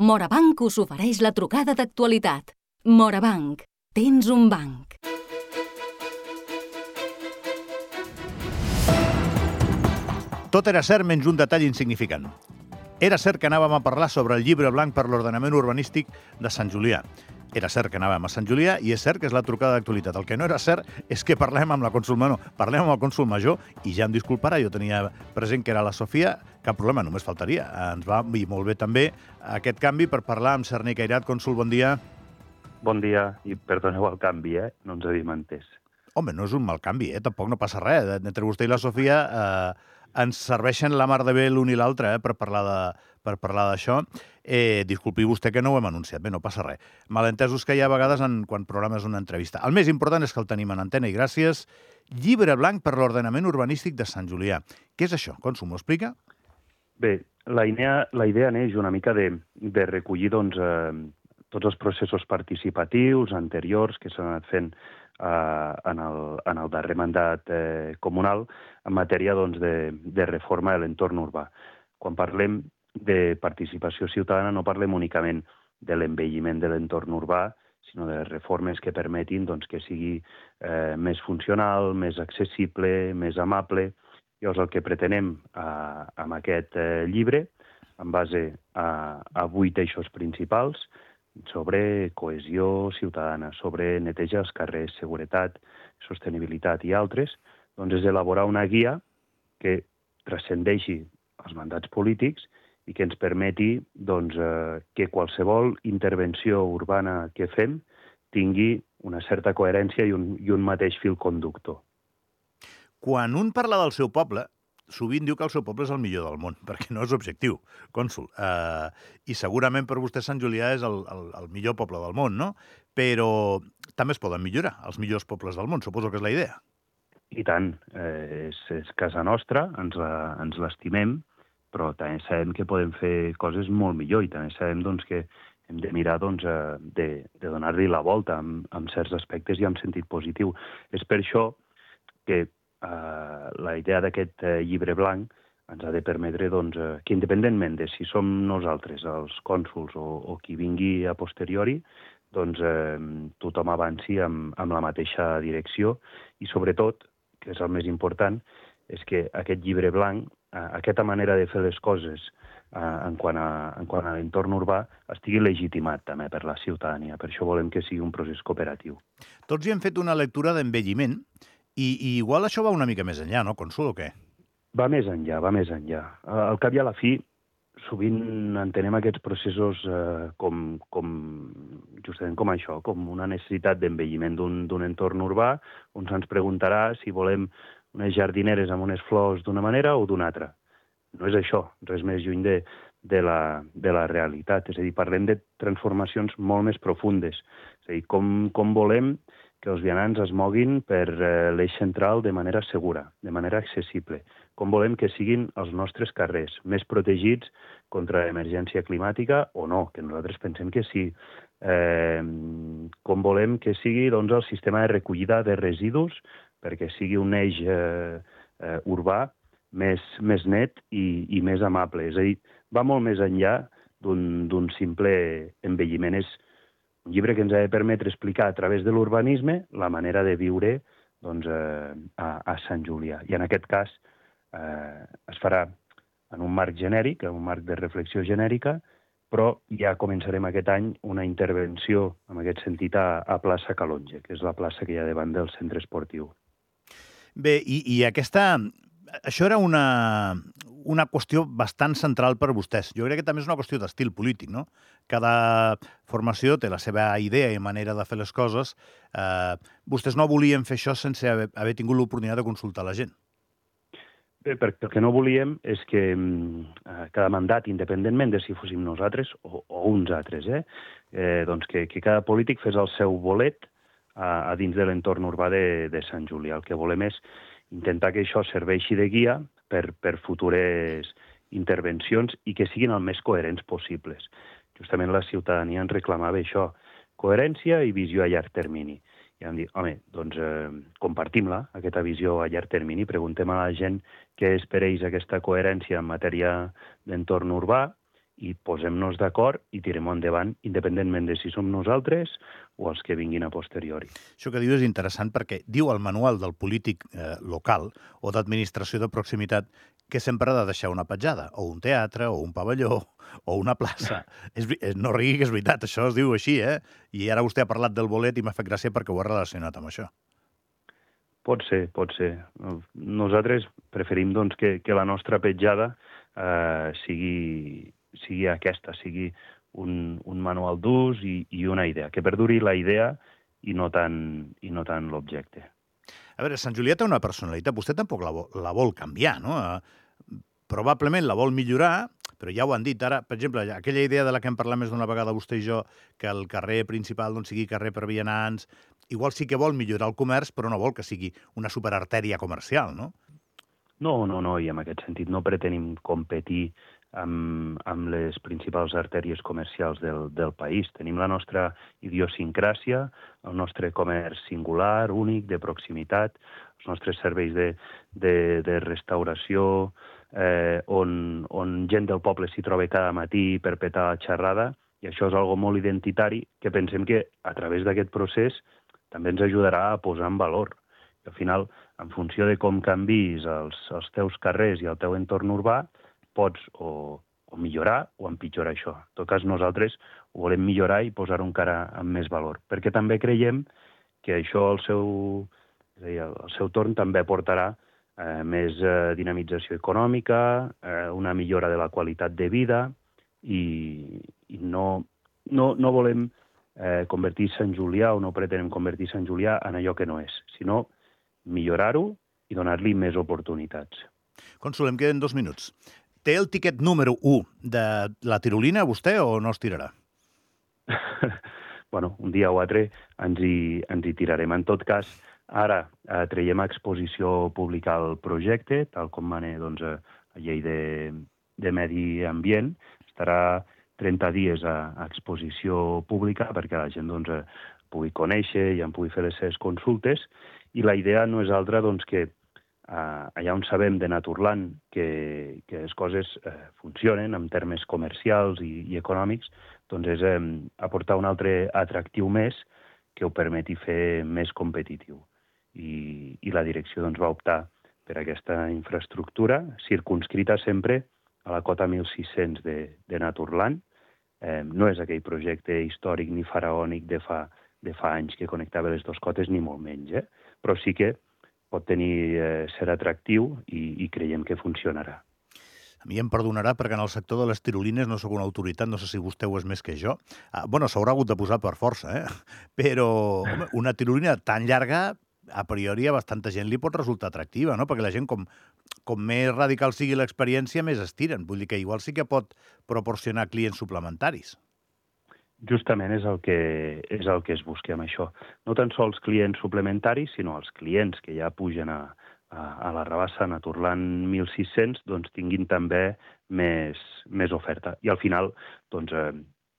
Morabanc us ofereix la trucada d'actualitat. Morabanc, tens un banc. Tot era cert menys un detall insignificant. Era cert que anàvem a parlar sobre el llibre blanc per l'ordenament urbanístic de Sant Julià. Era cert que anàvem a Sant Julià i és cert que és la trucada d'actualitat. El que no era cert és que parlem amb la cònsol menor, parlem amb el cònsol major i ja em disculparà, jo tenia present que era la Sofia, cap problema, només faltaria. Ens va dir molt bé també aquest canvi per parlar amb Cerny Cairat. Cònsol, bon dia. Bon dia i perdoneu el canvi, no ens havíem entès. Home, no és un mal canvi, tampoc no passa res. Entre vostè i la Sofia ens serveixen la mar de bé l'un i l'altre per parlar d'això. Disculpi vostè que no ho hem anunciat, bé, no passa res. Malentesos que hi ha a vegades quan programes una entrevista. El més important és que el tenim en antena i gràcies. Llibre blanc per l'ordenament urbanístic de Sant Julià. Què és això? Cònsol, m'ho explica? Bé, la idea neix una mica de recollir tots els processos participatius anteriors que s'han anat fent en el darrer mandat comunal en matèria de reforma de l'entorn urbà. Quan parlem de participació ciutadana no parlem únicament de l'envelliment de l'entorn urbà, sinó de les reformes que permetin que sigui més funcional, més accessible, més amable. Llavors el que pretenem amb aquest llibre, en base a 8 eixos principals, sobre cohesió ciutadana, sobre neteja dels carrers, seguretat, sostenibilitat i altres, és elaborar una guia que transcendeixi els mandats polítics i que ens permeti que qualsevol intervenció urbana que fem tingui una certa coherència i un mateix fil conductor. Quan un parla del seu poble, sovint diu que el seu poble és el millor del món, perquè no és objectiu, cònsol. I segurament per vostè Sant Julià és el millor poble del món, no? Però també es poden millorar els millors pobles del món, suposo que és la idea. I tant, és casa nostra, ens l'estimem, però també sabem que podem fer coses molt millor i també sabem que hem de mirar de donar-li la volta en certs aspectes i en sentit positiu. És per això que la idea d'aquest llibre blanc ens ha de permetre que, independentment de si som nosaltres, els cònsols o qui vingui a posteriori, tothom avanci amb la mateixa direcció i, sobretot, que és el més important, és que aquest llibre blanc, aquesta manera de fer les coses en quant a l'entorn urbà, estigui legitimat també per la ciutadania. Per això volem que sigui un procés cooperatiu. Tots hi hem fet una lectura d'envelliment i igual això va una mica més enllà, no, Cònsol, o què? Va més enllà, va més enllà. Al cap i a la fi, sovint entenem aquests processos justament com això, com una necessitat d'envelliment d'un entorn urbà, on se'ns preguntarà si volem unes jardineres amb unes flors d'una manera o d'una altra. No és això, res més lluny de la realitat. És a dir, parlem de transformacions molt més profundes. És a dir, com volem que els vianants es moguin per l'eix central de manera segura, de manera accessible. Com volem que siguin els nostres carrers més protegits contra l'emergència climàtica o no, que nosaltres pensem que sí. Com volem que sigui el sistema de recollida de residus perquè sigui un eix urbà més net i més amable. És a dir, va molt més enllà d'un simple envelliment. És un llibre que ens ha de permetre explicar a través de l'urbanisme la manera de viure a Sant Julià. I en aquest cas es farà en un marc genèric, en un marc de reflexió genèrica, però ja començarem aquest any una intervenció en aquest sentit a plaça Calonge, que és la plaça que hi ha davant del centre esportiu. Bé, i això era una qüestió bastant central per vostès. Jo crec que també és una qüestió d'estil polític, no? Cada formació té la seva idea i manera de fer les coses. Vostès no volien fer això sense haver tingut l'oportunitat de consultar la gent. Bé, perquè el que no volíem és que cada mandat, independentment de si fóssim nosaltres o uns altres, que cada polític fes el seu bolet a dins de l'entorn urbà de Sant Julià. El que volem és intentar que això serveixi de guia per futures intervencions i que siguin el més coherents possibles. Justament la ciutadania ens reclamava això, coherència i visió a llarg termini. I vam dir, home, compartim-la, aquesta visió a llarg termini, preguntem a la gent què és per ells aquesta coherència en matèria d'entorn urbà i posem-nos d'acord i tirem endavant, independentment de si som nosaltres o els que vinguin a posteriori. Això que diu és interessant perquè diu el manual del polític local o d'administració de proximitat que sempre ha de deixar una petjada, o un teatre, o un pavelló, o una plaça. No rigui que és veritat, això es diu així, eh? I ara vostè ha parlat del bolet i m'ha fet gràcia perquè ho ha relacionat amb això. Pot ser, pot ser. Nosaltres preferim doncs, que la nostra petjada sigui aquesta, sigui un manual d'ús i una idea, que perduri la idea i no tant l'objecte. A veure, Sant Julià té una personalitat, vostè tampoc la vol canviar, no? Probablement la vol millorar, però ja ho han dit ara, per exemple, aquella idea de la que hem parlat més d'una vegada vostè i jo, que el carrer principal doncs, sigui carrer per vianants, igual sí que vol millorar el comerç, però no vol que sigui una superartèria comercial, no? No, i en aquest sentit no pretenim competir amb les principals artèries comercials del país. Tenim la nostra idiosincràsia, el nostre comerç singular, únic, de proximitat, els nostres serveis de restauració, on gent del poble s'hi troba cada matí per petar la xerrada, i això és algo molt identitari que pensem que a través d'aquest procés també ens ajudarà a posar en valor. I al final, en funció de com canvis els teus carrers i el teu entorn urbà, pots o millorar o empitjorar això. En tot cas, nosaltres ho volem millorar i posar-ho encara amb més valor, perquè també creiem que això al seu torn també portarà més dinamització econòmica, una millora de la qualitat de vida i no volem convertir Sant Julià o no pretenem convertir Sant Julià en allò que no és, sinó millorar-ho i donar-li més oportunitats. Cònsol, em queden 2 minuts. Té el tiquet número 1 de la tirolina, vostè, o no es tirarà? Bueno, un dia o altre ens hi tirarem. En tot cas, ara traiem a exposició pública el projecte, tal com mana la llei de medi ambient. Estarà 30 dies a exposició pública perquè la gent pugui conèixer i en pugui fer les seves consultes. I la idea no és altra que allà on sabem de Naturland que les coses funcionen en termes comercials i econòmics, doncs és aportar un altre atractiu més que ho permeti fer més competitiu. I la direcció va optar per aquesta infraestructura, circunscrita sempre a la cota 1.600 de Naturland. No és aquell projecte històric ni faraònic de fa anys que connectava les dues cotes, ni molt menys, però sí que pot ser atractiu i creiem que funcionarà. A mi em perdonarà perquè en el sector de les tirolines no sóc una autoritat, no sé si vostè ho és més que jo. Bueno, s'haurà hagut de posar per força, però home, una tirolina tan llarga, a priori a bastanta gent li pot resultar atractiva, no? Perquè la gent, com més radical sigui l'experiència, més estiren. Vull dir que igual sí que pot proporcionar clients suplementaris. Justament és el que es busca amb això. No tan sols clients suplementaris, sinó els clients que ja pugen a la rabassa Naturland 1.600 tinguin també més oferta. I al final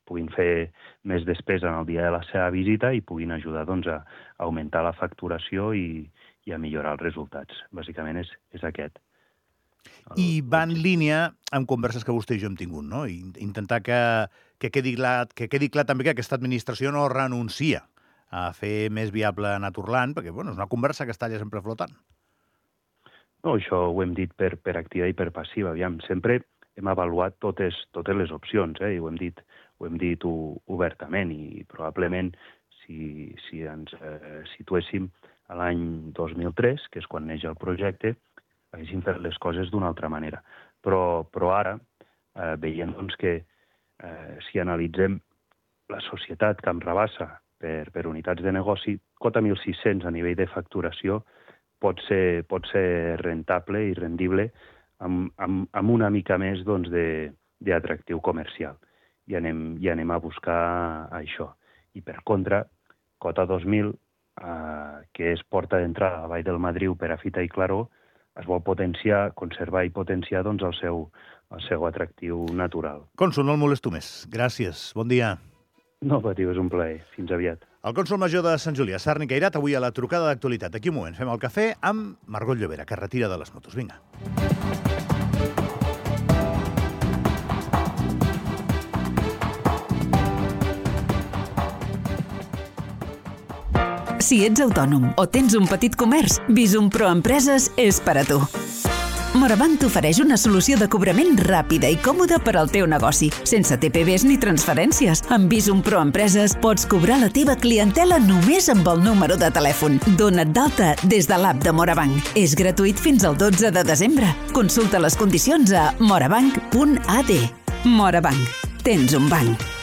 puguin fer més despesa en el dia de la seva visita i puguin ajudar a augmentar la facturació i a millorar els resultats. Bàsicament és aquest. I va en línia amb converses que vostè i jo hem tingut, no? I intentar que quedi clar també que aquesta administració no renuncia a fer més viable Naturland, perquè és una conversa que està allà sempre flotant. No, això ho hem dit per activa i per passiva. Aviam, sempre hem avaluat totes les opcions, i ho hem dit obertament, i probablement si ens situéssim a l'any 2003, que és quan neix el projecte, haguéssim fet les coses d'una altra manera. Però ara veiem que si analitzem la societat que em rebassa per unitats de negoci, cota 1.600 a nivell de facturació pot ser rentable i rendible amb una mica més d'atractiu comercial. I anem a buscar això. I per contra, cota 2.000, que és porta d'entrada a la Vall del Madriu per a Fita i Claror, es vol conservar i potenciar el seu atractiu natural. Cònsol, no el molesto més. Gràcies. Bon dia. No patiu, és un plaer. Fins aviat. El cònsol major de Sant Julià, Sarni Cairat, avui a la trucada d'actualitat. D'aquí un moment fem el cafè amb Margot Llobera, que retira de les motos. Vinga. Si ets autònom o tens un petit comerç, Visum Pro Empreses és per a tu. Morabanc t'ofereix una solució de cobrament ràpida i còmoda per al teu negoci, sense TPVs ni transferències. Amb Visum Pro Empreses pots cobrar la teva clientela només amb el número de telèfon. Dona't d'alta des de l'app de Morabanc. És gratuït fins al 12 de desembre. Consulta les condicions a morabanc.ad. Morabanc. Tens un banc.